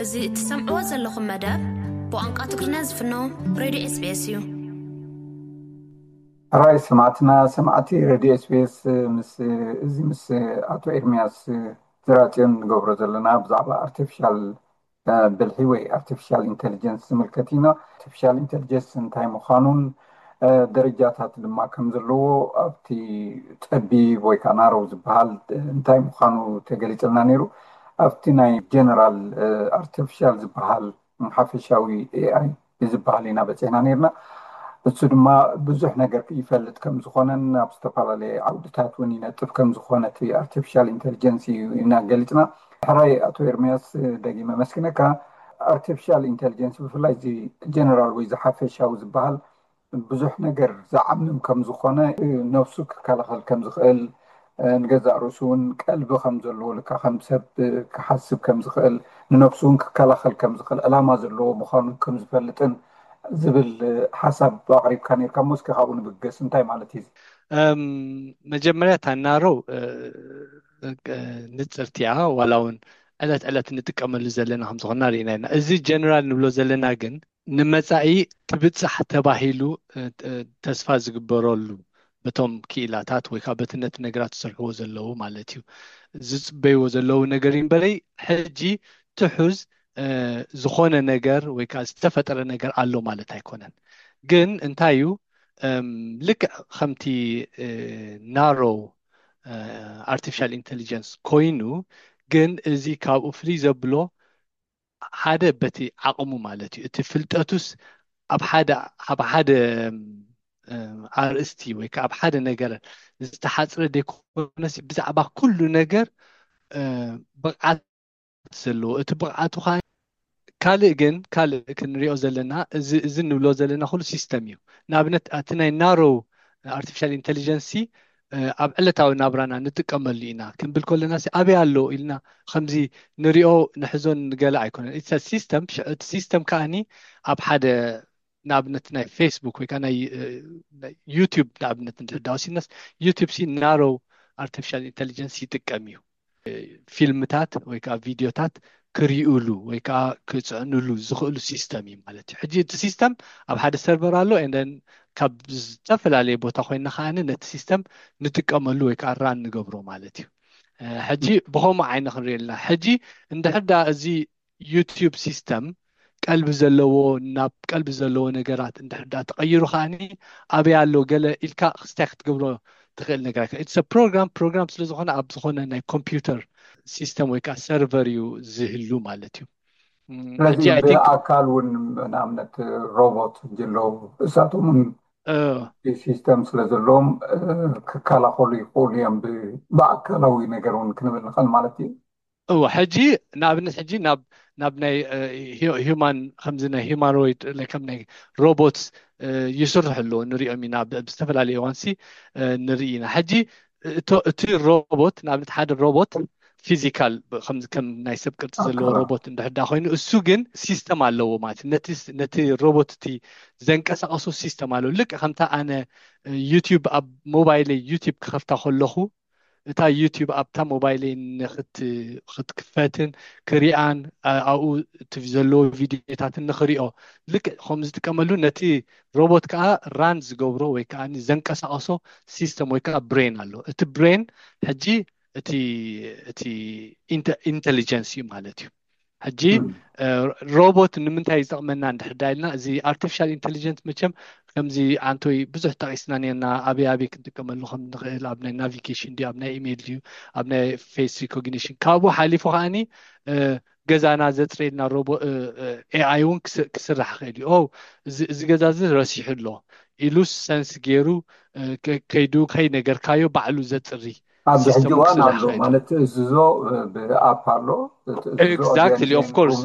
እዚ እትሰምዕዎ ዘለኹም መደብ ብቋንቋ ትግርኛ ዝፍኖ ሬድዮ ኤስቢኤስ እዩ። ሕራይ ሰማዕትና ሰማዕቲ ሬድዮ ኤስቢኤስ፣ ምስ እዚ ምስ ኣቶ ኤርሚያስ ዝራጽዮን ንገብሮ ዘለና ብዛዕባ ኣርቲፊሻል ብልሒ ወይ ኣርቲፊሻል ኢንቴሊጀንስ ዝምልከት ኢና። ኣርቲፊሻል ኢንቴሊጀንስ እንታይ ምዃኑን ደረጃታት ድማ ከም ዘለዎ ኣብቲ ጸቢብ ወይ ከዓ ናረው ዝበሃል እንታይ ምዃኑ ተገሊጽልና ነይሩ። ኣብቲ ናይ ጀነራል ኣርቲፊሻል ዝበሃል ሓፈሻዊ ኤኣይ ዝበሃል ኢና በፂሕና ነይርና። እሱ ድማ ብዙሕ ነገር ይፈልጥ ከም ዝኾነን ኣብ ዝተፈላለየ ዓውድታት እውን ይነጥፍ ከም ዝኾነ እቲ ኣርቲፊሻል ኢንቴሊጀንስ እዩ ኢና ገሊፅና። ሕራይ ኣቶ ኤርሚያስ፣ ደጊመ መስግነካ። ኣርቲፊሻል ኢንቴሊጀንስ ብፍላይ እዚ ጀነራል ወይ ዝሓፈሻዊ ዝበሃል ብዙሕ ነገር ዝዓምም ከም ዝኾነ፣ ነፍሱ ክከላኸል ከም ዝኽእል፣ ንገዛእ ርእሱ እውን ቀልቢ ከም ዘለዎ፣ ልካ ከም ሰብ ክሓስብ ከም ዝኽእል፣ ንነፍሱ እውን ክከላኸል ከም ዝኽእል ዕላማ ዘለዎ ምዃኑ ከም ዝፈልጥን ዝብል ሓሳብ ኣቕሪብካ ነርካ። እሞ እስኪ ካብኡ ንብገስ፣ እንታይ ማለት እዩ? መጀመርያ ታናረው ንፅርቲያ ዋላ እውን ዕለት ዕለት እንጥቀመሉ ዘለና ከም ዝኾንና ርኢና ኢና። እዚ ጀነራል ንብሎ ዘለና ግን ንመጻኢ ክብጻሕ ተባሂሉ ተስፋ ዝግበረሉ በቶም ክኢላታት ወይ ከዓ በቲ ነቲ ነገራት ዝሰርሕዎ ዘለዉ ማለት እዩ ዝጽበይዎ ዘለዉ ነገር እምበረይ ሕጂ ትሑዝ ዝኾነ ነገር ወይ ከዓ ዝተፈጠረ ነገር ኣሎ ማለት ኣይኮነን። ግን እንታይ እዩ ልክዕ ከምቲ ናሮ ኣርቲፊሻል ኢንቴሊጀንስ ኮይኑ ግን እዚ ካብኡ ፍልይ ዘብሎ ሓደ በቲ ዓቕሙ ማለት እዩ። እቲ ፍልጠቱስ ኣብ ሓደ ኣብ ሓደ ኣርእስቲ ወይ ከዓ ኣብ ሓደ ነገር ዝተሓፅረ ደይኮነሲ ብዛዕባ ኩሉ ነገር ብቕዓት ዘለዎ እቲ ብቕዓቱ ከዓ ካልእ ግን ካልእ ክንሪኦ ዘለና እዚ እዚ ንብሎ ዘለና ኩሉ ሲስተም እዩ። ንኣብነት እቲ ናይ ናሮ ኣርቲፊሻል ኢንቴሊጀንሲ ኣብ ዕለታዊ ናብራና ንጥቀመሉ ኢና ክንብል ከለና ኣበይ ኣሎ ኢልና ከምዚ ንሪኦ ንሕዞን ንገለ ኣይኮነን። ሲስተም እቲ ሲስተም ከዓኒ ኣብ ሓደ ንኣብነት ናይ ፌስቡክ ወይ ከዓ ናይ ዩቲዩብ ንኣብነት እንድሕር ዳ ወሲድናስ ዩቲዩብ ሲ ናሮ ኣርቲፊሻል ኢንቴሊጀንስ ይጥቀም እዩ። ፊልምታት ወይ ከዓ ቪዲዮታት ክሪኡሉ ወይ ከዓ ክፅዕኑሉ ዝኽእሉ ሲስተም እዩ ማለት እዩ። ሕጂ እቲ ሲስተም ኣብ ሓደ ሰርቨር ኣሎ and then ካብ ዝተፈላለየ ቦታ ኮይና ከዓኒ ነቲ ሲስተም ንጥቀመሉ ወይ ከዓ ራን ንገብሮ ማለት እዩ። ሕጂ ብኸምኡ ዓይነ ክንሪኦ ኣለና። ሕጂ እንድሕር ዳ እዚ ዩቲዩብ ሲስተም ቀልቢ ዘለዎ ናብ ቀልቢ ዘለዎ ነገራት እንድሕር ዳ ተቐይሩ ከዓኒ ኣበይ ኣሎ ገለ ኢልካ ክስታይ ክትገብሮ ትኽእል ነገር ኣይኮነ። ኢትስ ፕሮግራም ፕሮግራም ስለ ዝኾነ ኣብ ዝኾነ ናይ ኮምፒውተር ሲስተም ወይ ከዓ ሰርቨር እዩ ዝህሉ ማለት እዩ። ስለዚ ብኣካል እውን ንኣብነት ሮቦት ዘለዉ እሳቶም እውን ሲስተም ስለ ዘለዎም ክከላኸሉ ይኽእሉ እዮም። ብኣካላዊ ነገር እውን ክንብል ንኽእል ማለት እዩ። እወ ሕጂ ንኣብነት ሕጂ ናብ ናብ ናይ ሂማን ከምዚ ናይ ሂማኖይድ ከም ናይ ሮቦት ይስርሑ ኣለዎ ንሪኦም ኢና ብዝተፈላለዩ እዋንሲ ንርኢ ኢና። ሕጂ እቲ ሮቦት ንኣብነት ሓደ ሮቦት ፊዚካል ከም ናይ ሰብ ቅርፂ ዘለዎ ሮቦት እንድሕር ዳ ኮይኑ እሱ ግን ሲስተም ኣለዎ ማለት ነቲ ሮቦት እቲ ዘንቀሳቀሶ ሲስተም ኣለዎ። ልክዕ ከምታ ኣነ ዩቲዩብ ኣብ ሞባይለይ ዩቲዩብ ክኸፍታ ከለኹ እታ ዩቲዩብ ኣብታ ሞባይለይ ክትክፈትን ክሪኣን ኣብኡ እቲ ዘለዎ ቪዲዮታትን ንክሪኦ ልክዕ ከም ዝጥቀመሉ ነቲ ሮቦት ከዓ ራን ዝገብሮ ወይ ከዓ ዘንቀሳቀሶ ሲስተም ወይ ከዓ ብሬን ኣሎ። እቲ ብሬን ሕጂ እቲ እቲ ኢንቴሊጀንስ እዩ ማለት እዩ። ሕጂ ሮቦት ንምንታይ ዝጠቕመና እንድሕር ዳ ኢልና እዚ ኣርቲፊሻል ኢንቴሊጀንስ መቸም ከምዚ ኣንቶይ ብዙሕ ጠቂስና ነርና። ኣበይ ኣበይ ክንጥቀመሉ ከም ንኽእል ኣብ ናይ ናቪጌሽን ድዩ ኣብ ናይ ኢሜይል ድዩ ኣብ ናይ ፌስ ሪኮግኒሽን ካብኡ ሓሊፉ ከዓኒ ገዛና ዘፅረየልና ሮቦ ኤኣይ እውን ክስራሕ ይኽእል እዩ። እዚ ገዛ እዚ ረሲሑ ኣሎ ኢሉ ሰንስ ገይሩ ከይዱ ከይነገርካዮ ባዕሉ ዘፅሪ ኣብዚ ሕጂ እዋን ኣሎ ማለት ትእዝዞ ብኣፕ ኣሎ። ኤግዛክትሊ ኦፍ ኮርስ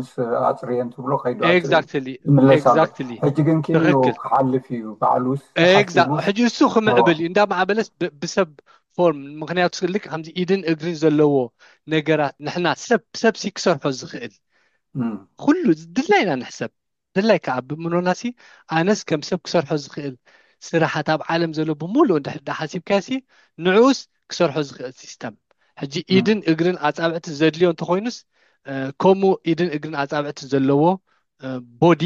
ኣፅርየን ትብሎ ከይዱ ኤግዛክትሊ ይምለስ ኣሎ። ኤግዛክትሊ ሕጂ ግን ክኢሉ ትኽክል። ክሓልፍ እዩ ባዕሉስ ኤግዛ ሕጂ እሱ ክምዕብል እዩ እንዳ ማዕበለስ ብ- ብሰብ ፎርም ምክንያቱ ልክ ከምዚ ኢድን እግርን ዘለዎ ነገራት ንሕና ሰብ ሰብ ሲ ክሰርሖ ዝኽእል ኩሉ ድላይና ንሕሰብ ድላይ ከዓ ብምኖናሲ ኣነስ ከም ሰብ ክሰርሖ ዝኽእል ስራሓት ኣብ ዓለም ዘሎ ብምሉእ እንድሕር ዳ ሓሲብካሲ ንዕኡስ ክሰርሖ ዝኽእል ሲስተም ሕጂ ኢድን እግርን ኣፃብዕቲ ዘድልዮ እንተኮይኑስ ከምኡ ኢድን እግርን ኣፃብዕቲ ዘለዎ ቦዲ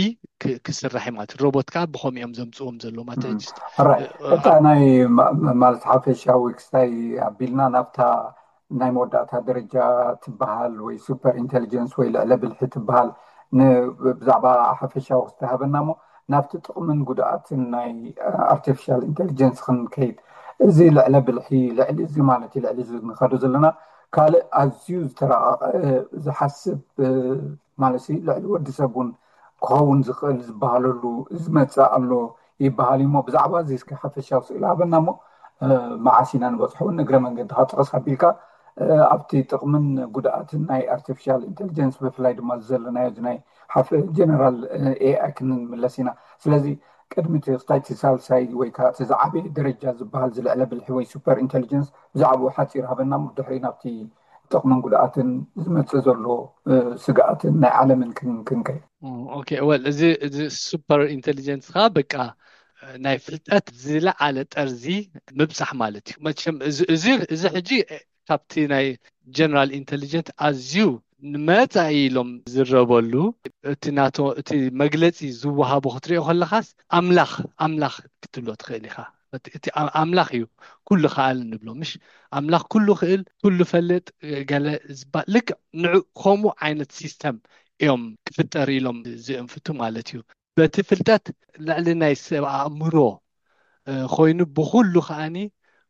ክስራሕ ማለት። ሮቦት ከዓ ብኸምኡ እዮም ዘምፅዎም ዘለዎ ማለት። እታ ናይ ማለት ሓፈሻዊ ክስታይ ኣቢልና ናብታ ናይ መወዳእታ ደረጃ ትበሃል ወይ ሱፐር ኢንቴሊጀንስ ወይ ልዕለ ብልሒ ትበሃል ብዛዕባ ሓፈሻዊ ክስታይ ሃበና እሞ ናብቲ ጥቕምን ጉድኣትን ናይ ኣርቲፊሻል ኢንቴሊጀንስ ክንከይድ። እዚ ልዕለ ብልሒ ልዕሊ እዚ ማለት እዩ። ልዕሊ እዚ ንኸዶ ዘለና ካልእ ኣዝዩ ዝተረቐቐ ዝሓስብ ማለት ልዕሊ ወዲ ሰብ እውን ክኸውን ዝኽእል ዝበሃለሉ ዝመፅእ ኣሎ ይበሃል እዩ። እሞ ብዛዕባ እዚ እስኪ ሓፈሻዊ ስእሊ ሃበና እሞ መዓስ ኢና ንበፅሖ እውን እግረ መንገድካ ጥቕስ ኣቢልካ ኣብቲ ጥቕምን ጉድኣትን ናይ ኣርቲፊሻል ኢንቴሊጀንስ ብፍላይ ድማ ዘለናዮ ናይ ሓፈ ጀነራል ኤኣይ ክንምለስ ኢና። ስለዚ ቅድሚ እቲ ክስታይ እቲ ሳልሳይ ወይ ከዓ እቲ ዝዓበየ ደረጃ ዝበሃል ዝልዕለ ብልሒ ወይ ሱፐር ኢንቴሊጀንስ ብዛዕባኡ ሓፂር ሃበና እሞ ድሕሪ ናብቲ ጥቕምን ጉድኣትን ዝመፅእ ዘሎ ስግኣትን ናይ ዓለምን ክንከይ። ኦኬ፣ ወል እዚ እዚ ሱፐር ኢንቴሊጀንስ ከዓ በቃ ናይ ፍልጠት ዝለዓለ ጠርዚ ምብፃሕ ማለት እዩ። መቸም እዚ ሕጂ ካብቲ ናይ ጀነራል ኢንቴሊጀንት ኣዝዩ ንመፃኢ ኢሎም ዝረበሉ እቲ ናቶ እቲ መግለፂ ዝወሃቦ ክትሪኦ ከለካስ ኣምላኽ ኣምላኽ ክትብሎ ትኽእል ኢኻ። እቲ ኣምላኽ እዩ ኩሉ ከኣል ንብሎ ምሽ ኣምላኽ ኩሉ ክእል ኩሉ ፈልጥ ገለ ዝበሃል ልክዕ ንዑ ከምኡ ዓይነት ሲስተም እዮም ክፍጠር ኢሎም ዝእንፍቱ ማለት እዩ። በቲ ፍልጠት ልዕሊ ናይ ሰብ ኣእምሮ ኮይኑ ብኩሉ ከዓኒ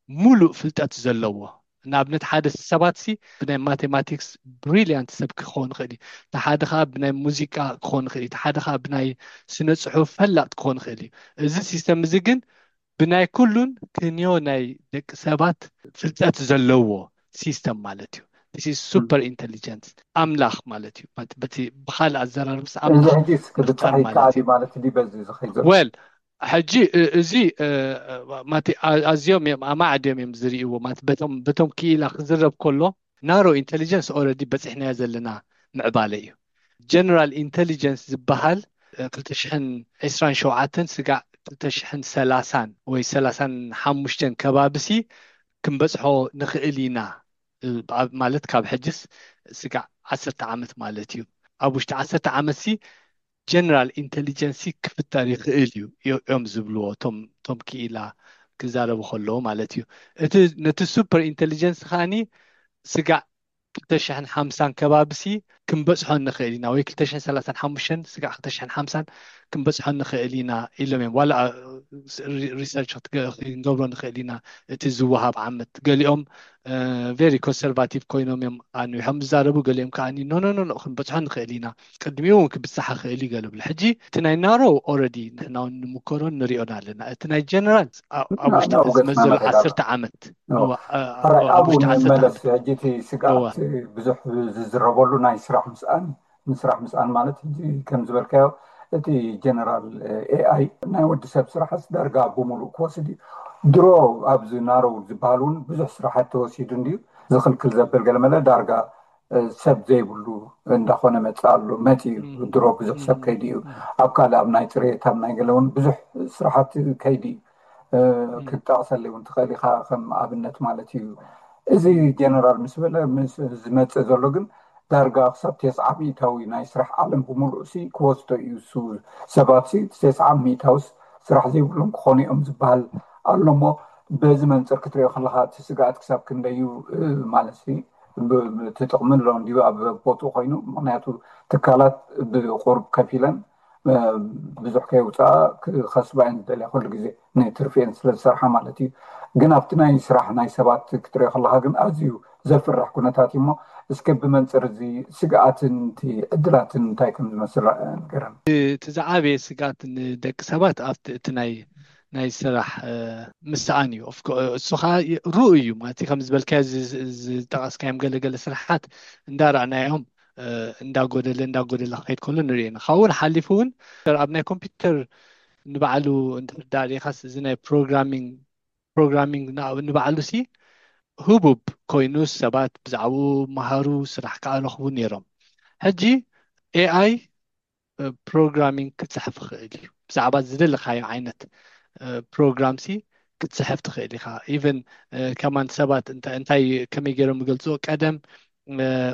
ሙሉእ ፍልጠት ዘለዎ ንኣብነት ሓደ ሰባት ሲ ብናይ ማቴማቲክስ ብሪሊያንት ሰብ ክኸውን ይኽእል እዩ። እቲ ሓደ ከዓ ብናይ ሙዚቃ ክኸውን ይኽእል እዩ። እቲ ሓደ ከዓ ብናይ ስነ ፅሑፍ ፈላጥ ክኸውን ይኽእል እዩ። እዚ ሲስተም እዚ ግን ብናይ ኩሉን ክንዮ ናይ ደቂ ሰባት ፍልጠት ዘለዎ ሲስተም ማለት እዩ። ሱፐር ኢንቴሊጀንስ ኣምላኽ ማለት እዩ። በቲ ብካልእ ኣዘራርብስ ኣምላኽ ምፍጣር ማለት እዩ። ወል ሕጂ እዚ ኣዝዮም እዮም ኣማዕድዮም እዮም ዝርእይዎ ማለት በቶም ክኢላ ክዝረብ ከሎ ናሮ ኢንቴሊጀንስ ኦረዲ በፂሕናዮ ዘለና ምዕባለ እዩ። ጀነራል ኢንቴሊጀንስ ዝበሃል ክልተ ሽሕን ዕስራን ሸውዓተን ስጋዕ ክልተ ሽሕን ሰላሳን ወይ ሰላሳን ሓሙሽተን ከባብሲ ክንበፅሖ ንኽእል ኢና ማለት ካብ ሕጅስ ስጋዕ ዓሰርተ ዓመት ማለት እዩ። ኣብ ውሽጢ ዓሰርተ ዓመት ሲ ጀነራል ኢንቴሊጀንሲ ክፍጠር ይኽእል እዩ እዮም ዝብልዎ ቶም ክኢላ ክዛረቡ ከለዉ ማለት እዩ። እቲ ነቲ ሱፐር ኢንቴሊጀንስ ከዓኒ ስጋዕ ክልተ ሽሕን ሓምሳን ከባብሲ ክንበፅሖ ንኽእል ኢና ወይ ክልተ ሽሕን ሰላሳን ሓሙሽተን ስጋዕ ክልተ ሽሕን ሓምሳን ክንበፅሖ ንኽእል ኢና ኢሎም እዮም። ዋላ ሪሰርች ክንገብሮ ንኽእል ኢና እቲ ዝወሃብ ዓመት ገሊኦም ቨሪ ኮንሰርቫቲቭ ኮይኖም እዮም ኣንዊሖም ዝዛረቡ። ገሊኦም ከዓ ኖ ኖ ኖ ክንበፅሖ ንኽእል ኢና ቅድሚኡ እውን ክብፅሓ ክእል እዩ ገለ ብሎ። ሕጂ እቲ ናይ ናሮ ኦረዲ ንሕና እውን ንምከሮን ንሪኦን ኣለና። እቲ ናይ ጀነራል ኣብ ውሽጢ ዝመዘሉ ዓሰርተ ዓመት ኣብኡ ንመለስ። ሕጂ እቲ ስግኣት ብዙሕ ዝዝረበሉ ናይ ስራሕ ምስኣን ንስራሕ ምስኣን ማለት ሕጂ ከም ዝበልካዮ እቲ ጀነራል ኤኣይ ናይ ወዲ ሰብ ስራሕስ ዳርጋ ብምሉእ ክወስድ እዩ። ድሮ ኣብዚ ናረው ዝበሃል እውን ብዙሕ ስራሓት ተወሲዱ እንድዩ ዝኽልክል ዘብል ገለመለ ዳርጋ ሰብ ዘይብሉ እንዳኾነ መፅእ ኣሎ መፂ እዩ። ድሮ ብዙሕ ሰብ ከይዲ እዩ ኣብ ካልእ ኣብ ናይ ፅሬት ኣብ ናይ ገለ እውን ብዙሕ ስራሓት ከይዲ እዩ። ክጠቕሰለይ እውን ትኽእል ኢኻ ከም ኣብነት ማለት እዩ። እዚ ጀነራል ምስ በለ ዝመፅእ ዘሎ ግን ዳርጋ ክሳብ ተስዓ ሚእታዊ ናይ ስራሕ ዓለም ብምሉእ ሲ ክወስዶ እዩ። እሱ ሰባት ሲ ተስዓ ሚእታውስ ስራሕ ዘይብሎም ክኾኑ እዮም ዝበሃል ኣሎ እሞ በዚ መንፅር ክትሪኦ ከለካ እቲ ስግኣት ክሳብ ክንደይ እዩ ማለት ሲ እቲ ጥቕሚ ኣሎ እንድዩ ኣብ ቦትኡ ኮይኑ ምክንያቱ ትካላት ብቁሩብ ከፊለን ብዙሕ ከየውፅኣ ክኸስባ እየን ዝደልያ ኩሉ ግዜ ንትርፊ እየን ስለ ዝሰርሓ ማለት እዩ። ግን ኣብቲ ናይ ስራሕ ናይ ሰባት ክትሪኦ ከለካ ግን ኣዝዩ ዘፍርሕ ኩነታት እዩ እሞ እስከ ብመንፅር እዚ ስግኣትን እቲ ዕድላትን እንታይ ከም ዝመስል ንገረን። እቲ ዝዓበየ ስግኣት ንደቂ ሰባት ኣብቲ እቲ ናይ ናይ ስራሕ ምስኣን እዩ። እሱ ከዓ ርኡ እዩ ማለት ከም ዝበልካዮ ዝጠቀስካዮም ገለገለ ስራሓት እንዳረኣናዮም እንዳጎደለ እንዳጎደለ ክኸይድ ከሎ ንሪኦ ኢና። ካብኡ ሓሊፉ እውን ኣብ ናይ ኮምፒውተር ንባዕሉ እንድሕር ዳሪኻስ እዚ ናይ ፕሮግራሚንግ ፕሮግራሚንግ ንባዕሉ ሲ ህቡብ ኮይኑ ሰባት ብዛዕባኡ መሃሩ ስራሕ ከዓ ረኽቡ ነይሮም። ሕጂ ኤኣይ ፕሮግራሚንግ ክፅሕፍ ይኽእል እዩ። ብዛዕባ ዝደለካዮ ዓይነት ፕሮግራም ሲ ክትፅሕፍ ትኽእል ኢኻ። ኢቨን ከማን ሰባት እንታይ ከመይ ገይሮም ይገልፅዎ ቀደም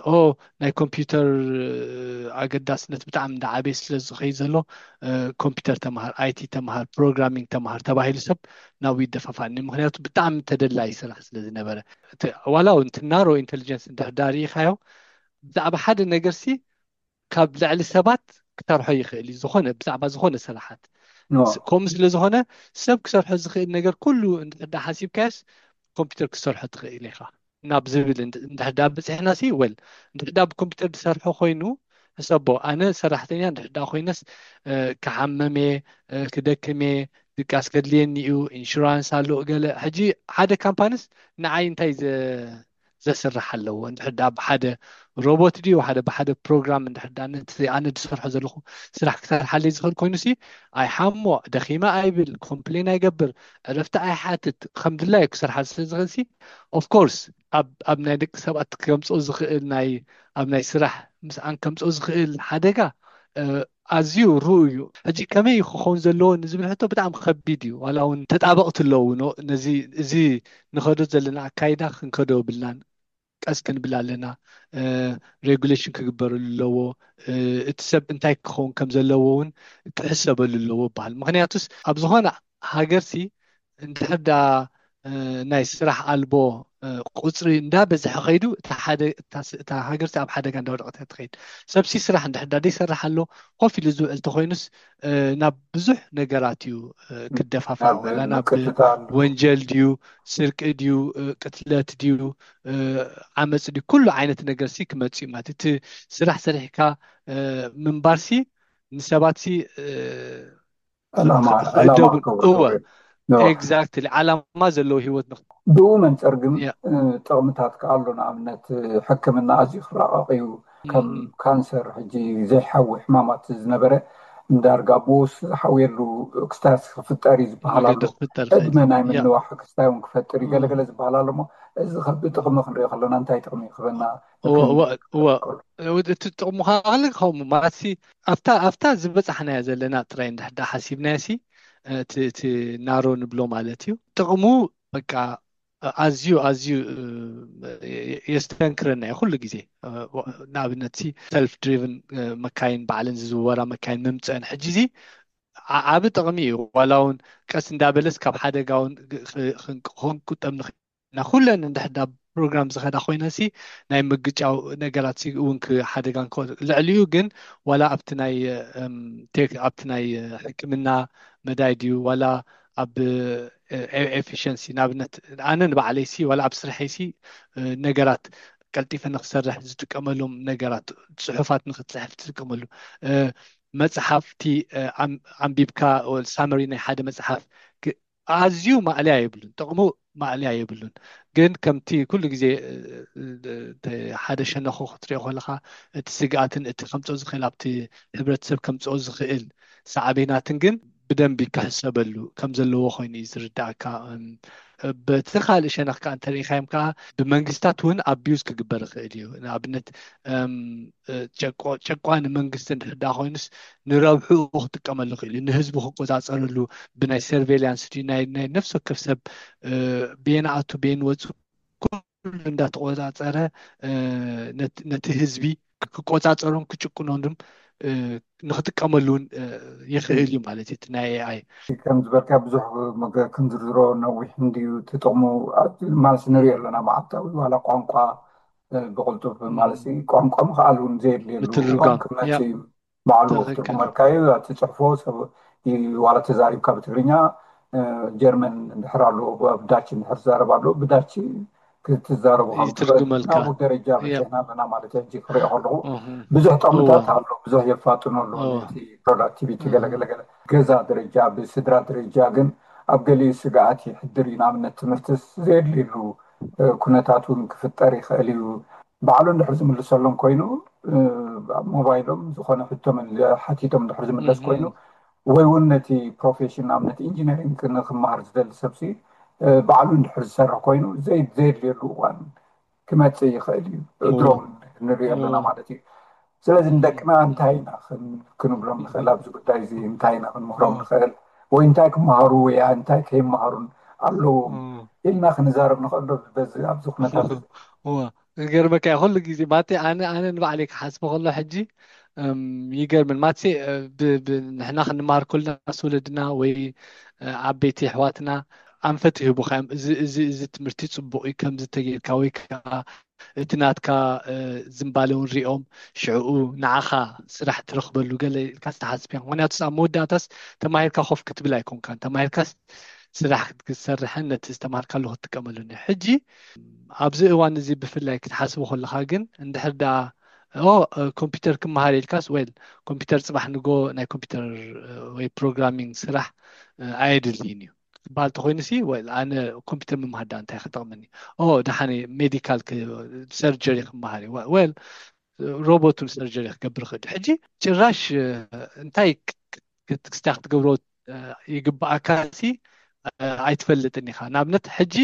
ኦ ናይ ኮምፒውተር ኣገዳስነት ብጣዕሚ እንዳዓበየ ስለ ዝኸይድ ዘሎ ኮምፒውተር ተምሃር፣ ኣይቲ ተምሃር፣ ፕሮግራሚንግ ተምሃር ተባሂሉ ሰብ ናብኡ ይደፋፋኒ። ምክንያቱ ብጣዕሚ ተደላይ ስራሕ ስለ ዝነበረ። ዋላ እውን ናሮ ኢንቴሊጀንስ እንድሕር ዳርኢኻዮ ብዛዕባ ሓደ ነገር ሲ ካብ ልዕሊ ሰባት ክሰርሖ ይኽእል እዩ። ዝኾነ ብዛዕባ ዝኾነ ስራሓት ከምኡ ስለ ዝኾነ ሰብ ክሰርሖ ዝኽእል ነገር ኩሉ እንድሕር ሓሲብካዮስ ኮምፒውተር ክሰርሖ ትኽእል ኢኻ ናብ ዝብል እንድሕር ብፅሕና ሲ ወል እንድሕር ብኮምፒውተር ዝሰርሖ ኮይኑ ሕሰቦ። ኣነ ሰራሕተኛ እንድሕር ኮይነስ ክሓመም እየ፣ ክደክም እየ፣ ድቃስ ከድልየኒ እዩ፣ ኢንሹራንስ ኣሎ ገለ። ሕጂ ሓደ ካምፓኒስ ንዓይ እንታይ ዘስርሕ ኣለዎ? እንድሕር ብሓደ ሮቦት ድዩ ሓደ ብሓደ ፕሮግራም እንድሕር ነቲ ኣነ ዝሰርሖ ዘለኹ ስራሕ ክሰርሓለይ ዝኽእል ኮይኑ ሲ ኣይሓሞ፣ ደኺመ ኣይብል፣ ኮምፕሌን ኣይገብር፣ ዕረፍቲ ኣይሓትት፣ ከም ድላዩ ክሰርሓ ስለ ዝኽእል ሲ ኦፍኮርስ ኣብ ናይ ደቂ ሰባት ከምፅኦ ዝኽእል ናይ ኣብ ናይ ስራሕ ምስኣን ከምፅኦ ዝኽእል ሓደጋ ኣዝዩ ርኡ እዩ። ሕጂ ከመይ ክኸውን ዘለዎ ንዝብል ሕቶ ብጣዕሚ ከቢድ እዩ። ዋላ እውን ተጣበቕቲ ኣለዉ ነዚ እዚ ንኸዶ ዘለና ኣካይዳ ክንከዶ ብልናን ቀስ ክንብል ኣለና። ሬጉሌሽን ክግበረሉ ኣለዎ። እቲ ሰብ እንታይ ክኸውን ከም ዘለዎ እውን ክሕሰበሉ ኣለዎ ይበሃል። ምክንያቱስ ኣብ ዝኾነ ሃገርሲ እንድሕር ዳ ናይ ስራሕ ኣልቦ ቁፅሪ እንዳበዝሐ ከይዱ እታ ሃገርሲ ኣብ ሓደጋ እንዳወደቀት እያ ትኸይድ። ሰብሲ ስራሕ እንድሕር ዳ ዘይሰርሕ ኣሎ ኮፍ ኢሉ ዝውዕል ተኮይኑስ ናብ ብዙሕ ነገራት እዩ ክደፋፋ፣ ወላ ናብ ወንጀል ድዩ፣ ስርቂ ድዩ፣ ቅትለት ድዩ፣ ዓመፅ ድዩ፣ ኩሉ ዓይነት ነገርሲ ክመፅእ እዩ ማለት እዩ። እቲ ስራሕ ሰሪሕካ ምንባርሲ ንሰባትሲ ዕላማ ክህደቡ ክገብሩ እወ ነው። ኤግዛክትሊ ዓላማ ዘለዎ ህይወት ንክ ብኡ መንፅር ግን ጥቕምታት ከኣሉ ንኣብነት ሕክምና ኣዝዩ ክራቐቕ እዩ። ከም ካንሰር ሕጂ ዘይሓዊ ሕማማት ዝነበረ እንዳርጋ ብኡስ ዝሓውየሉ ክስታያት ክፍጠር እዩ ዝበሃል ኣሎ። መገዲ ክፍጠር ይኽእል ዕድመ ናይ ያ ምንዋሕ ክስታይ እውን ክፈጥር እዩ ገለገለ ዝበሃል ኣሎ። እሞ እዚ ከ ብጥቕሚ ክንሪኦ ከለና እንታይ ጥቕሚ ይኽበና? እወ እወ እወ እቲ ጥቕሙ ካል ከምኡ ማለት ሲ ኣብታ ኣብታ ዝበፃሕናያ ዘለና ጥራይ እንድሕዳ ሓሲብናዮ ሲ እቲ እቲ ናሮ ንብሎ ማለት እዩ። ጥቕሙ በቃ ኣዝዩ ኣዝዩ የስተንክረና እዩ ኩሉ ግዜ። ንኣብነት ሲ ሰልፍ ድሪቭን መካይን ባዕለን ዝዝወራ መካይን ምምፀአን ሕጂ ዚ ዓቢ ጥቕሚ እዩ። ዋላ እውን ቀስ እንዳበለስ ካብ ሓደጋ እውን ክንቁጠብ ንኽእል ኢና። ኩለን እንድሕዳ ፕሮግራም ዝኸዳ ኮይነሲ ናይ ምግጫው ነገራት እውን ሓደጋ ልዕሊኡ ግን ዋላ ኣብቲ ናይ ቴክ ኣብቲ ናይ ሕክምና መዳይ ድዩ ዋላ ኣብ ኤፊሽንሲ ንኣብነት ኣነ ንባዕለይሲ ዋላ ኣብ ስርሐይሲ ነገራት ቀልጢፈ ንክሰርሕ ዝጥቀመሎም ነገራት ፅሑፋት ንክትፅሕፍ ትጥቀመሉ መፅሓፍቲ ኣንቢብካ ሳመሪ ናይ ሓደ መፅሓፍ ኣዝዩ ማእለያ የብሉን። ጥቕሙ ማእለያ የብሉን። ግን ከምቲ ኩሉ ግዜ ሓደ ሸነኹ ክትሪኦ ከለካ እቲ ስግኣትን እቲ ከምፅኦ ዝኽእል ኣብቲ ሕብረተሰብ ከምፅኦ ዝኽእል ሳዕቤናትን ግን ብደንቢ ክሕሰበሉ ከም ዘለዎ ኮይኑ እዩ ዝርዳእካ። በቲ ካልእ ሸነኽ ከዓ እንተሪኢኻዮም ከዓ ብመንግስታት እውን ኣቢዩዝ ክግበር ይኽእል እዩ። ንኣብነት ጨቋኒ መንግስቲ እንድሕዳ ኮይኑስ ንረብሑ ክጥቀመሉ ይኽእል እዩ። ንህዝቡ ክቆፃፀረሉ ብናይ ሰርቬይላንስ ድዩ ናይ ነፍሲ ወከፍ ሰብ ቤን ኣቱ ቤን ወፁ ኩሉ እንዳተቆፃፀረ ነቲ ህዝቢ ክቆፃፀሮን ክጭቁኖን ንክጥቀመሉ እውን ይኽእል እዩ ማለት እዩ። ናይ ኤኣይ ከም ዝበልካ ብዙሕ ክንዝርዝሮ ነዊሕ እንድዩ ትጥቕሙ ማለት ንሪኦ ኣለና። መዓልታዊ ዋላ ቋንቋ ብቕልጡፍ ማለት ቋንቋ ምኽኣል እውን ዘየድልየሉ ምትርጓም ክመፅእ እዩ። ባዕሉ ክትርጉመልካ እዩ። ትፅሕፎ ሰብ ዋላ ተዛሪብካ ብትግርኛ ጀርመን እንድሕር ኣሎ ብዳች እንድሕር ትዛረብ ኣሎ ብዳች ክትዛረቡ ይትርጉመልካ። ናብኡ ደረጃ በፂሕና ኣለና ማለት ሕጂ ክሪኦ ከለኹ ብዙሕ ጠቕምታት ኣሎ። ብዙሕ የፋጥኖ ኣሎ ነቲ ፕሮዳክቲቪቲ ገለገለገለ ገዛ ደረጃ ብስድራ ደረጃ ግን ኣብ ገሊኡ ስግኣት ይሕድር እዩ። ንኣብነት ትምህርትስ ዘየድልየሉ ኩነታት እውን ክፍጠር ይኽእል እዩ። ባዕሉ እንድሕር ዝምልሰሎም ኮይኑ ኣብ ሞባይሎም ዝኾነ ሕቶ ሓቲቶም እንድሕር ዝምለስ ኮይኑ ወይ እውን ነቲ ፕሮፌሽን ንኣብነት ኢንጂነሪንግ ንክመሃር ዝደሊ ሰብሲ ባዕሉ እንድሕር ዝሰርሕ ኮይኑ ዘየድልየሉ እዋን ክመፅእ ይኽእል እዩ። ድሮም ንሪኦ ኣለና ማለት እዩ። ስለዚ ንደቅና እንታይ ኢና ክንብሎም ንኽእል ኣብዚ ጉዳይ እዚ እንታይ ኢና ክንምህሮም ንኽእል ወይ እንታይ ክመሃሩ ወይ እንታይ ከይመሃሩን ኣለዎም ኢልና ክንዛረብ ንኽእል ዶ? በዚ ኣብዚ ኩነታት እወ ዝገርመካ እዩ፣ ኩሉ ግዜ ማለተይ ኣነ ኣነ ንባዕለይ ክሓስቦ ከሎ ሕጂ እም፣ ይገርምን ማለተይ እ፣ ብ- ብ- ንሕና ክንመሃር ከለና ምስ ወለድና ወይ እ፣ ዓበይቲ ኣሕዋትና ኣንፈት ይህቡኻ እዮም። እዚ እዚ እዚ ትምህርቲ ፅቡቅ እዩ፣ ከምዚ ተጌርካ ወይ ከዓ እቲ ናትካ እ፣ ዝንባለ እውን ሪኦም ሽዕኡ ንዓኻ ስራሕ ትረኽበሉ ገለ ኢልካ ዝተሓስብ እዮም። ምክንያቱ ኣብ መወዳእታስ ተማሂርካ ኮፍ ክትብል ኣይኮንካን፣ ተማሂርካስ ስራሕ ክትሰርሕን ነቲ ዝተማሃርካሉ ክትጥቀመሉን እዩ። ሕጂ ኣብዚ እዋን እዚ ብፍላይ ክትሓስቡ ከለካ ግን እንድሕር ደኣ ኦ ኮምፒውተር ክመሃር ኢልካስ ወል ኮምፒውተር ፅባሕ ንጎ ናይ ኮምፒውተር ወይ ፕሮግራሚንግ ስራሕ ኣየድልይን እዩ ክበሃል ተኮይኑ ሲ ወል ኣነ ኮምፒውተር ምምሃር ዳ እንታይ ክጠቅመኒ? ኦ ደሓነ ሜዲካል ሰርጀሪ ክመሃር እዩ ወል ሮቦት ሰርጀሪ ክገብር ክእል። ሕጂ ጭራሽ እንታይ ክስታ ክትገብሮ ይግባኣካ ሲ ኣይትፈልጥን ኢኻ። ንኣብነት ሕጂ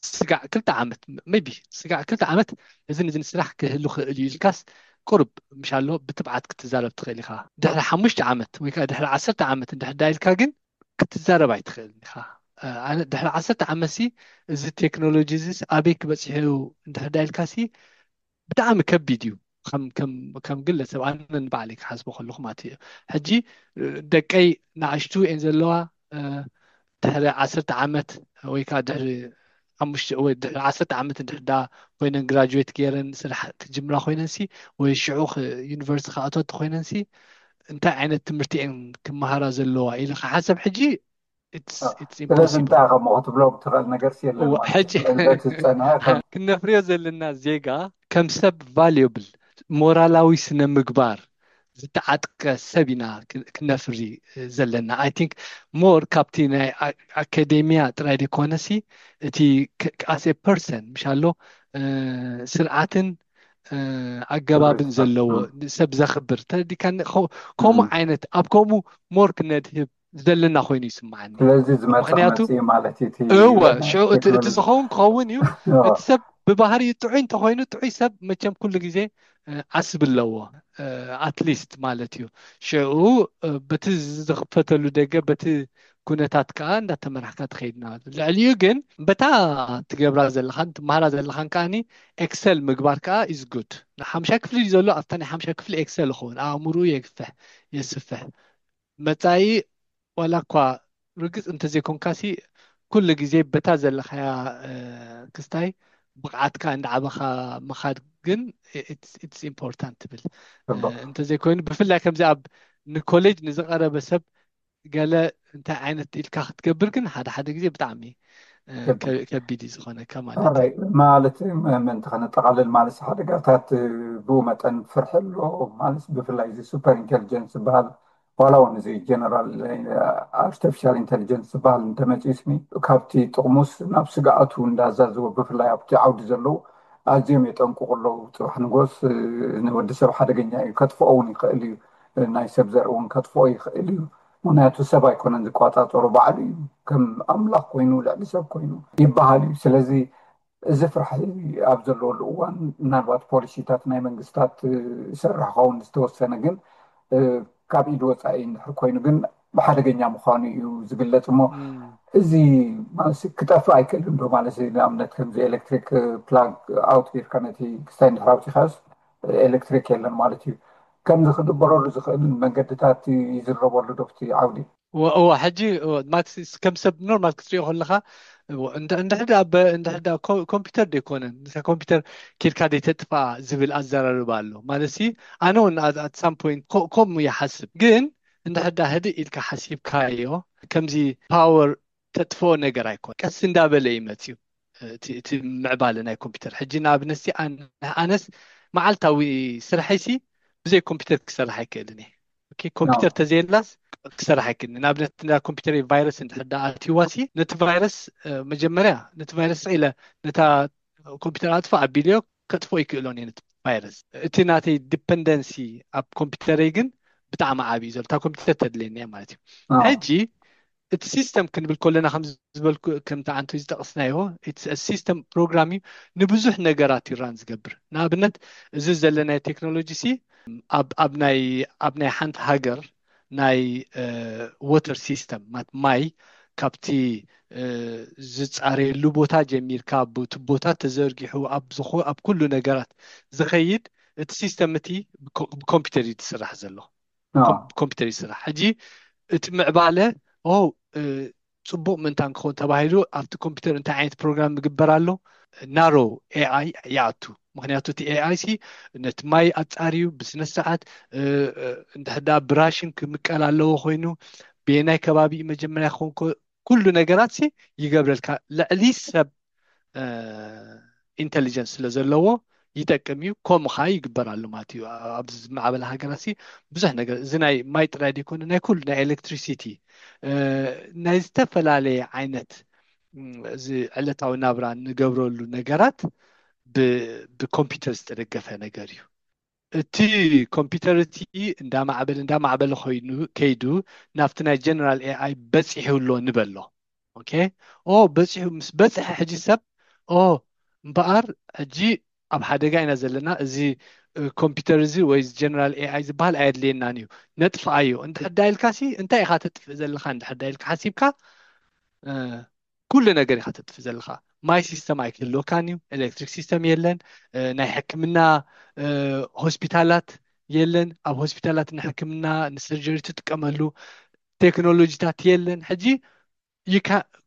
ስጋዕ ክልተ ዓመት ቢ ስጋዕ ክልተ ዓመት እዝን እዝን ስራሕ ክህሉ ክእል እዩ ኢልካስ ቁርብ ምሻሎ ብትብዓት ክትዛረብ ትኽእል ኢኻ። ድሕሪ ሓሙሽተ ዓመት ወይ ከዓ ድሕሪ ዓሰርተ ዓመት እንድሕዳ ኢልካ ግን ክትዛረብ ኣይትኽእልን ኢኻ። ኣነ ድሕሪ ዓሰርተ ዓመት ሲ እዚ ቴክኖሎጂ እዚስ ኣበይ ክበፅሑ እንድሕዳ ኢልካ ሲ ብጣዕሚ ከቢድ እዩ። ከም ግለሰብ ኣነ ንባዕለይ ክሓስቦ ከለኹ ማለት እዩ። ሕጂ ደቀይ ንኣሽቱ እየን ዘለዋ ድሕሪ ዓሰርተ ዓመት ወይ ከዓ ድሕሪ ዓሰርተ ዓመት እንድሕዳ ኮይነን ግራጁዌት ገይረን ስራሕ ክጅምራ ኮይነን ሲ ወይ ሽዑ ዩኒቨርሲቲ ክኣትዋ ተኮይነን ሲ እንታይ ዓይነት ትምህርቲ እየን ክመሃራ ዘለዋ ኢለ ክሓሰብ ሕጂ ስለዚ እንታይ ከም ክትብሎም ትኽእል ነገር የለን። ሕጂ ክነፍርዮ ዘለና ዜጋ ከም ሰብ ቫልዩብል ሞራላዊ ስነ ምግባር ዝተዓጥቀ ሰብ ኢና ክነፍሪ ዘለና። ኣይ ቲንክ ሞር ካብቲ ናይ ኣካዴሚያ ጥራይ ደይኮነሲ እቲ ኣስ ፐርሰን ምሻሎ ስርዓትን ኣገባብን ዘለዎ ሰብ ዘኽብር ተረዲካ ከምኡ ዓይነት ኣብ ከምኡ ሞር ክነድህብ ዘለና ኮይኑ ይስምዓኒ። ስለዚ ዝመጽእ ምኽንያቱ መጽእ ማለት እዩ። እቲ እወ፣ ሽዑ እቲ እቲ ቴክኖሎጂ። ዝኸውን ክኸውን እዩ። እቲ ሰብ ብባህሪኡ ጥዑይ እንተኾይኑ፣ ጥዑይ ሰብ መቸም ኩሉ ግዜ፣ እ፣ ዓስቢ ኣለዎ። እ፣ ኣትሊስት ማለት እዩ። ሽዑ፣ እ፣ በቲ ዝኽፈተሉ ደገ፣ በቲ ኩነታት ከኣ እንዳተመራሕካ ትኸይድ ማለት እዩ። ልዕሊኡ ግን በታ ትገብራ ዘለኻን ትመሃራ ዘለኻን ከኣኒ ኤክሰል ምግባር ከኣ ኢዝ ጉድ። ሓምሻ ክፍሊ እዩ ዘሎ፣ ኣብታ ናይ ሓምሻ ክፍሊ ኤክሰል ይኸውን። ኣእምርኡ የግፍሕ፣ የስፍሕ። መጻኢ ዋላ እኳ ርግጽ እንተዘይኮንካሲ ኩሉ ግዜ በታ ዘለኻያ፣ እ፣ ክስታይ ብቕዓትካ እንዳዓበኻ ምኻድ ግን it's important ትብል። እ፣ ጽቡቕ። እንተዘይኮይኑ ብፍላይ ከምዚ ኣብ ንኮሌጅ ንዝቐረበ ሰብ ገለ እንታይ ዓይነት ኢልካ ክትገብር ግን ሓደ ሓደ ግዜ ብጣዕሚ፣ እ፣ ከቢድ። ከ-፣ ከቢድ እዩ ዝኾነካ ማለት እዩ። ኦራይት፣ ማለት ም-፣ ምእንቲ ከነጠቓልል ማለት ሓደጋታት ብኡ መጠን ፍርሒ ኣሎ ማለት ብፍላይ እዚ ሱፐር ኢንቴሊጀንስ ዝበሃል ዋላ እውን እዚ ጀነራል ኣርቲፊሻል ኢንቴሊጀንስ ዝበሃል እንተመፂኡ ስኒ ካብቲ ጥቕሙስ ናብ ስግኣቱ እንዳዛዝወ ብፍላይ ኣብቲ ዓውዲ ዘለዉ ኣዝዮም የጠንቅቑ ኣለዉ። ፅባሕ ንጎስ ንወዲ ሰብ ሓደገኛ እዩ፣ ከጥፍኦ እውን ይኽእል እዩ፣ ናይ ሰብ ዘርኢ እውን ከጥፍኦ ይኽእል እዩ። ምክንያቱ ሰብ ኣይኮነን ዝቆፃፀሮ፣ ባዕሉ እዩ ከም ኣምላኽ ኮይኑ ልዕሊ ሰብ ኮይኑ ይበሃል እዩ። ስለዚ እዚ ፍርሒ ኣብ ዘለወሉ እዋን ምናልባት ፖሊሲታት ናይ መንግስታት ይሰርሕ ኸውን ዝተወሰነ ግን ካብ ኢድ ወፃኢ እንድሕር ኮይኑ ግን ብሓደገኛ ምዃኑ እዩ ዝግለፅ እሞ እዚ ማለት ክጠፍእ ኣይክእልን ዶ ማለት ንኣብነት ከምዚ ኤሌክትሪክ ፕላግ ኣውት ጌርካ ነቲ ክስታይ እንድሕር ኣውፂኻዮስ ኤሌክትሪክ የለን ማለት እዩ። ከምዚ ክግበረሉ ዝኽእል መንገድታት ይዝረበሉ ዶ ኣብቲ ዓውዲ? እወ ሕጂ ማለት ከም ሰብ ኖርማል ክትሪኦ ከለካ እንድሕዳ ኮምፒውተር ደይኮነን ኮምፒውተር ኬድካ ደይተጥፋ ዝብል ኣዘራርባ ኣሎ ማለት ሲ ኣነ እውን ኣት ሳም ፖይንት ከምኡ ይሓስብ ግን እንድሕዳ ህድእ ኢልካ ሓሲብካዮ ከምዚ ፓወር ተጥፍኦ ነገር ኣይኮን ቀስ እንዳበለ እዩ መፅዩ እቲ ምዕባለ ናይ ኮምፒውተር ሕጂ ንኣብነት ኣነስ መዓልታዊ ስርሐይሲ ብዘይ ኮምፒውተር ክሰርሕ ኣይክእልን እየ ኮምፒውተር ተዘየላስ ክሰርሕ ኣይክእልን ንኣብነት እንዳ ኮምፒውተር ቫይረስ እንድሕር ዳ ኣትዋሲ ነቲ ቫይረስ መጀመርያ ነቲ ቫይረስ ኢለ ነታ ኮምፒውተር ኣጥፋ ኣቢልዮ ከጥፎ ይክእሎን እየ ነቲ ቫይረስ እቲ ናተይ ዲፐንደንሲ ኣብ ኮምፒውተረይ ግን ብጣዕሚ ዓብዩ ዘሎ እታ ኮምፒውተር ተድልየኒ እያ ማለት እዩ ሕጂ እቲ ሲስተም ክንብል ከለና ከምዝበልኩ ከምቲ ዓንቱ ዝጠቕስናዮ ሲስተም ፕሮግራም እዩ ንብዙሕ ነገራት ይራን ዝገብር ንኣብነት እዚ ዘለናዮ ቴክኖሎጂ ሲ ኣብ ናይ ሓንቲ ሃገር ናይ ወተር ሲስተም ማይ ካብቲ ዝፃረየሉ ቦታ ጀሚርካ፣ ቱቦታት ተዘርጊሑ፣ ኣብ ኩሉ ነገራት ዝኸይድ እቲ ሲስተም እቲ ብኮምፒውተር እዩ ዝስራሕ ዘሎ። ኮምፒውተር ይስራሕ። ሕጂ እቲ ምዕባለ ጽቡቕ ምእንታን ክኸውን ተባሂሉ ኣብቲ ኮምፒውተር እንታይ ዓይነት ፕሮግራም ምግበር ኣሎ? ናሮ ኤኣይ ይኣቱ። ምክንያቱ እቲ ኤኣይ ሲ ነቲ ማይ ኣጻርዩ ብስነ ስርዓት እንድሕዳ ብራሽን ክምቀል ኣለዎ ኮይኑ ብየናይ ከባቢ መጀመርያ ክኸውን ኩሉ ነገራት ሲ ይገብረልካ። ልዕሊ ሰብ ኢንቴሊጀንስ ስለ ዘለዎ ይጠቅም እዩ። ከምኡ ከዓ ይግበር ኣሎ ማለት እዩ። ኣብዚ ዝማዕበለ ሃገራት ሲ ብዙሕ ነገር፣ እዚ ናይ ማይ ጥራይ ዘይኮነ ናይ ኩሉ ናይ ኤሌክትሪሲቲ፣ ናይ ዝተፈላለየ ዓይነት እዚ ዕለታዊ ናብራ ንገብረሉ ነገራት ብኮምፒውተር ዝተደገፈ ነገር እዩ። እቲ ኮምፒውተር እቲ እንዳማዕበለ እንዳማዕበለ ኮይኑ ከይዱ ናብቲ ናይ ጀነራል ኤኣይ በፂሑ ኣሎ ንበሎ። ኦኬ፣ ኦ በፂሑ ምስ በፅሐ ሕጂ ሰብ ኦ እምበኣር ሕጂ ኣብ ሓደጋ ኢና ዘለና፣ እዚ ኮምፒውተር እዚ ወይ ጀነራል ኤኣይ ዝበሃል ኣየድልየናን እዩ፣ ነጥፍኣዮ። እንድሕር ዳ ኢልካ ሲ እንታይ ኢኻ ተጥፍእ ዘለኻ? እንድሕር ዳ ኢልካ ሓሲብካ ኩሉ ነገር ኢኻ ተጥፍእ ዘለኻ። ማይ ሲስተም ኣይክህልወካን እዩ፣ ኤሌክትሪክ ሲስተም የለን፣ ናይ ሕክምና ሆስፒታላት የለን፣ ኣብ ሆስፒታላት ንሕክምና ንሰርጀሪ ትጥቀመሉ ቴክኖሎጂታት የለን። ሕጂ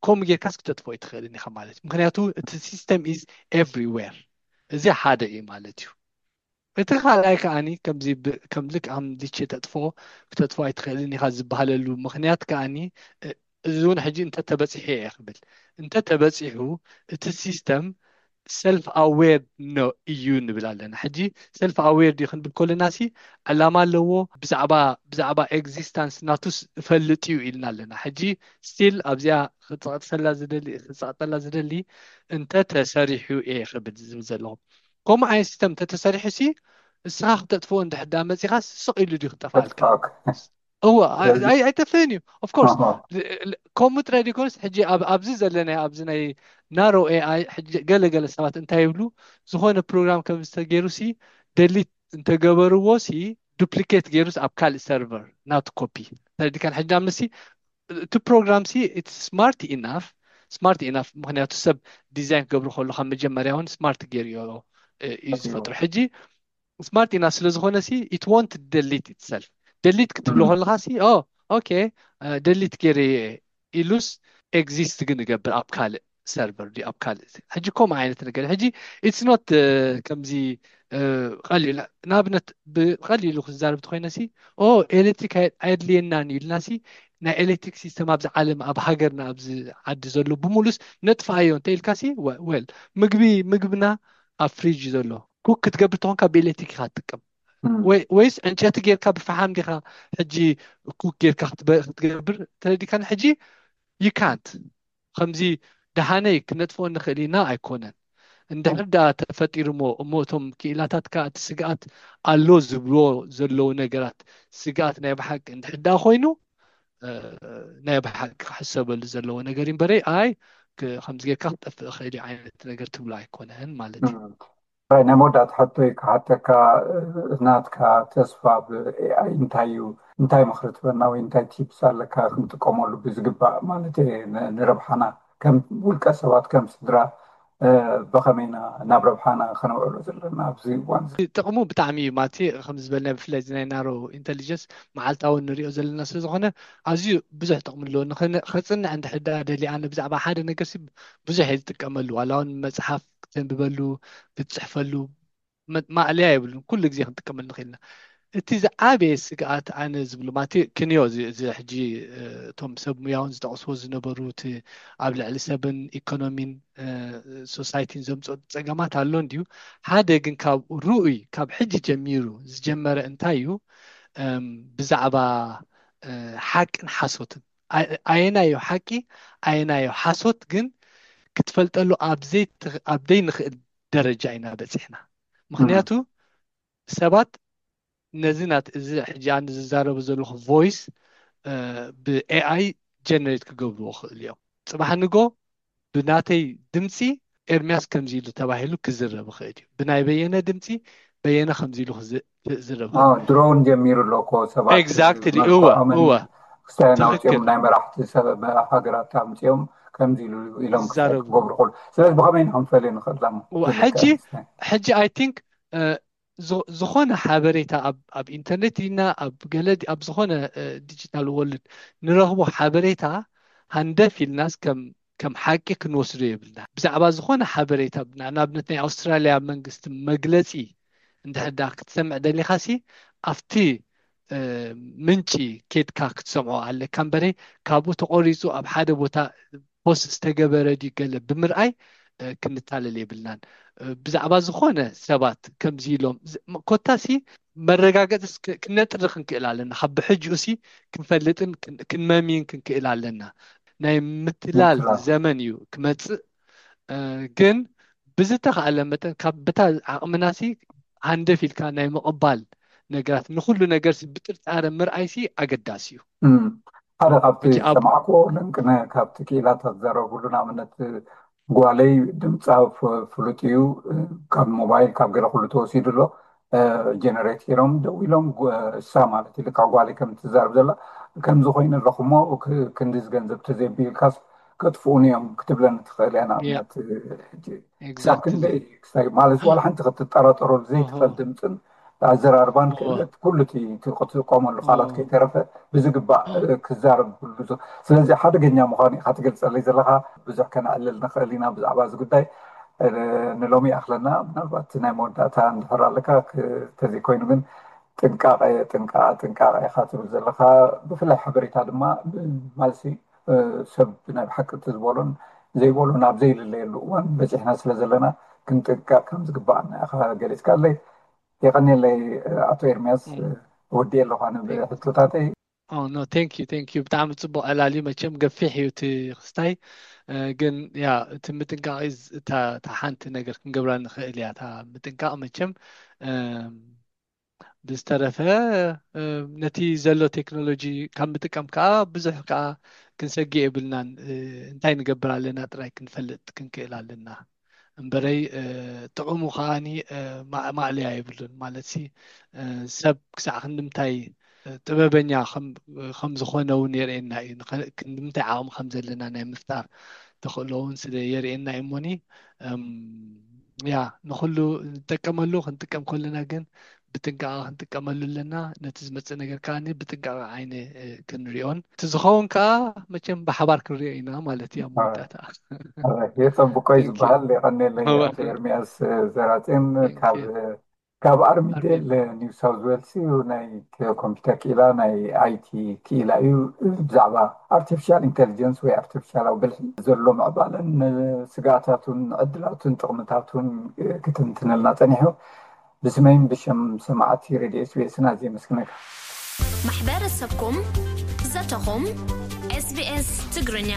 ከምኡ ጌርካስ ክተጥፎ ኣይትኽእልን ኢኻ ማለት እዩ። ምክንያቱ እቲ ሲስተም ኢዝ ኤቭሪዌር። እዚ ሓደ እዩ ማለት እዩ። እቲ ካልኣይ ከዓኒ ከምዚ ከም ልክኣም ሊቼ ተጥፎ ክተጥፎ ኣይትኽእልን ኢኻ ዝበሃለሉ ምክንያት ከዓኒ እዚ እውን ሕጂ እንተተበፂሑ እየ ክብል እንተተበፂሑ እቲ ሲስተም ሰልፍ ኣዌር ኖ እዩ ንብል ኣለና። ሕጂ ሰልፍ ኣዌር ድዩ ክንብል ከለና ሲ ዕላማ ኣለዎ፣ ብዛዕባ ብዛዕባ ኤግዚስታንስ ናቱስ እፈልጥ እዩ ኢልና ኣለና። ሕጂ ስቲል ኣብዚኣ ክፀቅጠላ ዝደሊ ክፀቅጠላ ዝደሊ እንተ ተሰሪሑ እየ ክብል ዝብል ዘለኹ። ከምኡ ዓይነት ሲስተም እንተተሰሪሑ ሲ እስኻ ክተጥፍኦ እንድሕዳ መፂኻ ስቕ ኢሉ ድዩ ክጠፋልካ? እወ ኣይጠፍእን እዩ። ኦፍኮርስ ከምኡ ጥራይ ዘይኮነስ ሕጂ ኣብዚ ዘለናዮ ኣብዚ ናይ ናሮ ኤኣይ ገለገለ ሰባት እንታይ ይብሉ፣ ዝኾነ ፕሮግራም ከም ዝተገይሩ ሲ ደሊት እንተገበርዎ ሲ ዱፕሊኬት ገይሩስ ኣብ ካልእ ሰርቨር ናቱ ኮፒ ተረዲካን። ሕጂ ኣምሲ እቲ ፕሮግራም ሲ ስማርት ኢናፍ ስማርት ኢናፍ ምክንያቱ ሰብ ዲዛይን ክገብሩ ከሉ ካብ መጀመርያ እውን ስማርት ገይሩ እዩ ዝፈጥሩ። ሕጂ ስማርት ኢናፍ ስለዝኾነ ሲ it won't delete itself። ደሊት ክትብሎ ከለኻ ሲ ኦ ኦኬ ደሊት ገይረ ኢሉስ ኤግዚስት ግን ይገብር ኣብ ካልእ ሰርቨር ድዩ ኣብ ካልእ ሕጂ ከምኡ ዓይነት ነገር ሕጂ it's not ከምዚ ቀሊል ንኣብነት ብቀሊሉ ክዛረብ ተኮይነ ሲ ኦ ኤሌክትሪክ ኣየድልየናን እዩ ኢልና ሲ ናይ ኤሌክትሪክ ሲስተም ኣብዚ ዓለም ኣብ ሃገርና ኣብዚ ዓዲ ዘሎ ብሙሉስ ነጥፍኣዮ እንተ ኢልካ ሲ well ምግቢ ምግብና ኣብ ፍሪጅ ዘሎ ኩክ ክትገብር ተኾንካ ብኤሌክትሪክ ኢካ ትጥቀም ወይስ ዕንጨቲ ጌርካ ብፈሓም ዲኻ ሕጂ ኩክ ጌርካ ክትገብር ተረዲካን ሕጂ you can't ከምዚ ደሃነይ ክነጥፍኦ ንኽእል ኢና ኣይኮነን። እንድሕር ደኣ ተፈጢሩ እሞ እሞ እቶም ክኢላታት ከኣ እቲ ስግኣት ኣሎ ዝብልዎ ዘለዉ ነገራት ስግኣት ናይ ብሓቂ እንድሕር ደኣ ኮይኑ ናይ ብሓቂ ክሕሰበሉ ዘለዎ ነገር እዩ እምበረይ ኣይ ከምዚ ጌርካ ክጠፍእ እኽእል እዩ ዓይነት ነገር ትብሎ ኣይኮነን ማለት እዩ። ናይ መወዳእታ ሕቶይ ክሓተካ ናትካ ተስፋ ብኤኣይ እንታይ እዩ እንታይ ምክሪ ትበና ወይ እንታይ ቲፕስ ኣለካ ክንጥቀመሉ ብዝግባእ ማለት ንረብሓና ከም ውልቀ ሰባት ከም ስድራ ብኸመይና ናብ ረብሓና ከነውዕሎ ዘለና ኣብዚ እዋን ጥቕሙ ብጣዕሚ እዩ ማለት ከም ዝበልና ብፍላይ ናይ ናሮ ኢንቴሊጀንስ መዓልታዊ ንሪኦ ዘለና ስለዝኾነ ኣዝዩ ብዙሕ ጥቕሚ ኣለዎ። ከፅንዕ እንድሕር ደኣ ደልየ ኣነ ብዛዕባ ሓደ ነገር ብዙሕ እየ ዝጥቀመሉ ዋላ እውን መፅሓፍ ክተንብበሉ ክትፅሕፈሉ ማእለያ የብሉን። ኩሉ ግዜ ክንጥቀመሉ ንኽእል ኢና። እቲ ዝዓበየ ስግኣት ኣነ ዝብሉ ማለት ክንዮ እዚ ሕጂ እቶም ሰብ ሙያውን ዝጠቕስዎ ዝነበሩ እቲ ኣብ ልዕሊ ሰብን ኢኮኖሚን ሶሳይቲን ዘምፅኦ ፀገማት ኣሎ እንድዩ። ሓደ ግን ካብ ርኡይ ካብ ሕጂ ጀሚሩ ዝጀመረ እንታይ እዩ ብዛዕባ ሓቅን ሓሶትን ኣየናዮ ሓቂ ኣየናዮ ሓሶት ግን ክትፈልጠሉ ኣብ ዘይንኽእል ደረጃ ኢና በፂሕና። ምክንያቱ ሰባት ነዚ ናት እዚ ሕጂ ኣነ ዝዛረቡ ዘለኹ ቮይስ ብኤኣይ ጀነሬት ክገብርዎ ክእል እዮም። ፅባሕ ንጎ ብናተይ ድምፂ ኤርሚያስ ከምዚ ኢሉ ተባሂሉ ክዝረብ ይኽእል እዩ። ብናይ በየነ ድምፂ በየነ ከምዚ ኢሉ ክዝረብ ድሮውን ጀሚሩ ኣሎ እኮ ሰባት exactly እወ እወ ክስታይ ናውፅኦም ናይ መራሕቲ ሃገራት ኣምፅኦም ከምዚ ኢሉ ኢሎም ክዛረቡ ክገብሩ ክእሉ። ስለዚ ብኸመይ ንክንፈልዮ ንኽእል ዳሞ? ሕጂ ሕጂ I think ዝኾነ ሓበሬታ ኣብ ኢንተርኔት ዲና ኣብ ገለ ኣብ ዝኾነ ዲጂታል ወርልድ ንረኽቦ ሓበሬታ ሃንደፍ ኢልናስ ከም ከም ሓቂ ክንወስዶ የብልና። ብዛዕባ ዝኾነ ሓበሬታ ንኣብነት ናይ ኣውስትራልያ መንግስቲ መግለፂ እንድሕር ክትሰምዕ ደሊኻሲ ኣብቲ ምንጪ ኬድካ ክትሰምዖ ኣለካ እምበረ ካብኡ ተቆሪፁ ኣብ ሓደ ቦታ ፖስት ዝተገበረ ድዩ ገለ ብምርኣይ ክንታለል የብልናን። ብዛዕባ ዝኾነ ሰባት ከምዚ ኢሎም ኮታሲ መረጋገፂ ክነጥሪ ክንክእል ኣለና። ካብ ብሕጅኡ ሲ ክንፈልጥን ክንመሚን ክንክእል ኣለና። ናይ ምትላል ዘመን እዩ ክመፅእ። ግን ብዝተኻእለ መጠን ካብ ብታ ዓቕምናሲ ሃንደፍ ኢልካ ናይ ምቕባል ነገራት ንኩሉ ነገር ብጥርጣረ ምርኣይሲ ኣገዳሲ እዩ። ሓደ ካብቲ ሰማዕክዎ ልንቅነ ካብቲ ክኢላታት ዘረብሉ ንኣብነት ጓለይ ድምፃ ፍሉጥ እዩ፣ ካብ ሞባይል ካብ ገለ ኩሉ ተወሲዱ ኣሎ። ጀነሬት ገይሮም ደው ኢሎም እሳ ማለት እዩ ልካ ጓለይ ከም ትዛረብ ዘላ ከምዚ ኮይኑ ኣለኹሞ ክንዲ ዝገንዘብ ተዘይቢልካስ ከጥፍኡኒ እዮም ክትብለኒ ትኽእል እያ። ንኣብነት ክሳብ ክንደይ ማለት ዋላ ሓንቲ ክትጠራጠረሉ ዘይትኽእል ድምፅን ኣዘራርባን ክእለት ኩሉ ክትጥቀመሉ ቃላት ከይተረፈ ብዝግባእ ክዛረብ ኩሉ። ስለዚ ሓደገኛ ምዃኑ ኢኻ ትገልፀለይ ዘለኻ። ብዙሕ ከነዕልል ንኽእል ኢና ብዛዕባ እዚ ጉዳይ። ንሎሚ ይኣኽለና። ምናልባት ናይ መወዳእታ እንድሕር ኣለካ ተዘይኮይኑ ግን ጥንቃቐ ጥንቃቐ ጥንቃቐ ኢኻ ትብል ዘለኻ። ብፍላይ ሓበሬታ ድማ ማለሲ ሰብ ናይ ብሓቂ እቲ ዝበሎን ዘይበሎን ኣብ ዘይልለየሉ እዋን በፂሕና ስለ ዘለና ክንጥንቀቕ ከም ዝግባኣና ኢኻ ገሊፅካለይ። የቐንየለይ ኣቶ ኤርሚያስ። ወዲየ ኣለኳ ንብሕቶታተይ። ኖ ቴንክ ዩ ቴንክ ዩ ብጣዕሚ ፅቡቅ ዕላል እዩ። መቸም ገፊሕ እዩ እቲ ክስታይ ግን ያ እቲ ምጥንቃቅ እታ ሓንቲ ነገር ክንገብራ ንኽእል እያ። እታ ምጥንቃቅ መቸም ብዝተረፈ ነቲ ዘሎ ቴክኖሎጂ ካብ ምጥቀም ከዓ ብዙሕ ከዓ ክንሰግእ የብልናን። እንታይ ንገብር ኣለና ጥራይ ክንፈልጥ ክንክእል ኣለና እምበረይ ጥቕሙ ከዓኒ ማዕለያ የብሉን። ማለት ሲ ሰብ ክሳዕ ክንድምታይ ጥበበኛ ከም ዝኾነ እውን የርእየና እዩ። ክንድምታይ ዓቕሚ ከም ዘለና ናይ ምፍጣር ተኽእሎ እውን ስለ የርእየና እዩ። እሞኒ ያ ንኩሉ ንጥቀመሉ ክንጥቀም ከለና ግን ብጥንቃቐ ክንጥቀመሉ ኣለና። ነቲ ዝመፅእ ነገር ከዓ ብጥንቃቐ ዓይኒ ክንሪኦን እቲ ዝኸውን ከዓ መቸም ብሓባር ክንሪኦ ኢና ማለት እዩ። ኣብ መወዳእታ የፀብቆ እዩ ዝበሃል። የቐኔለይ ኤርሚያስ ዘራፅን ካብ ካብ ኣርሚዴል ኒው ሳውዝ ዌልስ እዩ። ናይ ኮምፒውተር ክኢላ ናይ ኣይቲ ክኢላ እዩ። ብዛዕባ ኣርቲፊሻል ኢንቴሊጀንስ ወይ ኣርቲፊሻላዊ ብልሒ ዘሎ ምዕባለን ስጋኣታቱን ዕድላቱን ጥቕምታቱን ክትንትነልና ፀኒሑ። ብስመይን ብሽም ሰማዕቲ ሬድዮ ኤስቢኤስን ኣዝየ የመስግነካ። ማሕበረሰብኩም ዘተኹም ኤስቢኤስ ትግርኛ